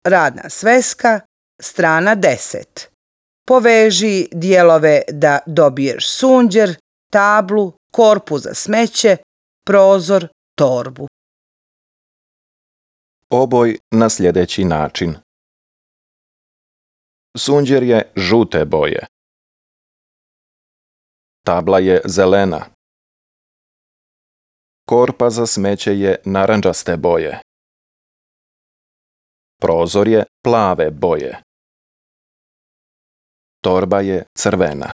Radna sveska, strana 10. Poveži dijelove da dobiješ sunđer, tablu, korpu za smeće, prozor, torbu. Oboj na sljedeći način. Sunđer je žute boje. Tabla je zelena. Korpa za smeće je narandžaste boje. Prozor je plave boje. Torba je crvena.